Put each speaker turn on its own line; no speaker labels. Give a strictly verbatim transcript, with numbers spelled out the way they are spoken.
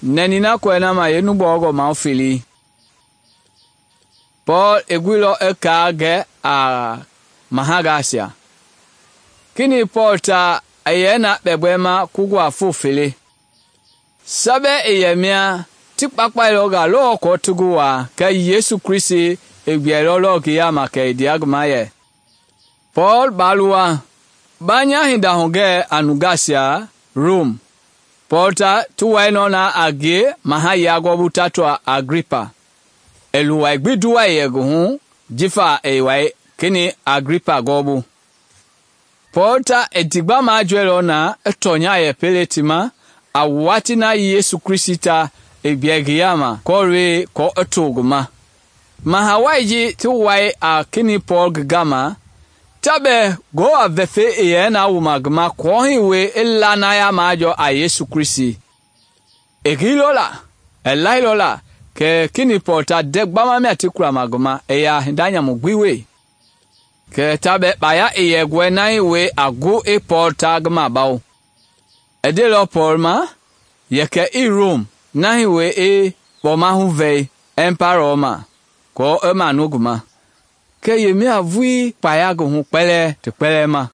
Nɛni na kɔɛ na ma yenugbɔɔngɔ ma fili. Paul i guilɔ i kaa gɛ a mahangaisia. Kini Paul ta i yɛ na kpɛgbɛma kugua foo fele. Sabɛ i yɛ mia ti kpakpailɔ nga lɔɔ kɔɔ ti ngi waa, kɛɛ Yesu Kristi i gbɛɛlɔ lɔɔ ngi yaama kɛ i ndea ngi ma yɛ, Paul baa luwa, ba nya hinda hugɛɛ a nungaisia Rom. Paul ta ti wainɔ na a ngie mahayɛi gɔɔbu tatua Agripa. I luwai gbi nduwai yɛ ngi hu jifa i wai kini Agripa gɔɔbu. Paul ta i ndigba majɔɛilɔ na i tɔnya yɛ pele ti ma a watii na Yesu Kristi ta i gbɛɛ ngi yaama kɔɔlɔi kɔɔ i to ngi ma. Mahawai ji ti wai a kini Paul ngi gama, ta bɛɛ Ngewɔ vɛfɛi i yɛ na wuma ngi ma kɔɔ hii wie i lanaya majɔɔ a Yesu Kristi. I gilɔ la, i lailɔ la kɛ kini Paul ta ndɛ gbama mia ti kulama ngi ma i yaa hinda nyamu gbi wee. Kɛ ta bɛɛ kpaya i yɛ gɔɛ na hii wie a gu i Paul ta ngi mabawo. I ndeilɔ Paul ma yɛ kɛ i Rom na hii wie i kpɔmahu vɛi ɛmparɔ ma kɔɔ i manu ngi ma. Kɛ yemia vulii kpaya ngi hu kpɛlɛɛ ti kpɛlɛɛ ma.